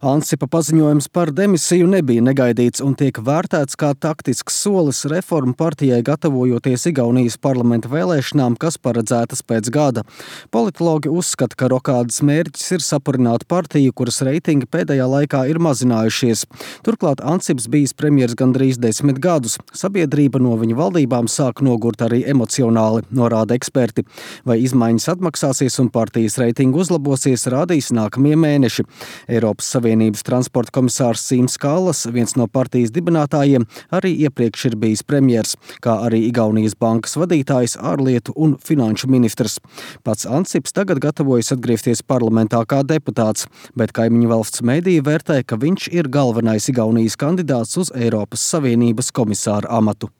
Ansipa paziņojums par demisiju nebija negaidīts un tiek vērtēts kā taktisks solis reformu partijai gatavojoties Igaunijas parlamenta vēlēšanām, kas paredzētas pēc gada. Politologi uzskata, ka rokādes mērķis ir sapurināt partiju, kuras reitingi pēdējā laikā ir mazinājušies. Turklāt Ansips bijis premjers gandrīz 10 gadus. Sabiedrība no viņa valdībām sāk nogurt arī emocionāli, norāda eksperti. Vai izmaiņas atmaksāsies un partijas reitingu uzlabosies, rādīs nākamie mēneši. Eiropas Savienības transporta komisārs Sims Kallas, viens no partijas dibinātājiem, arī iepriekš ir bijis premjers, kā arī Igaunijas bankas vadītājs, ārlietu un finanšu ministrs. Pats Ansips tagad gatavojas atgriezties parlamentā kā deputāts, bet kaimiņu valsts mediji vērtē, ka viņš ir galvenais Igaunijas kandidāts uz Eiropas Savienības komisāra amatu.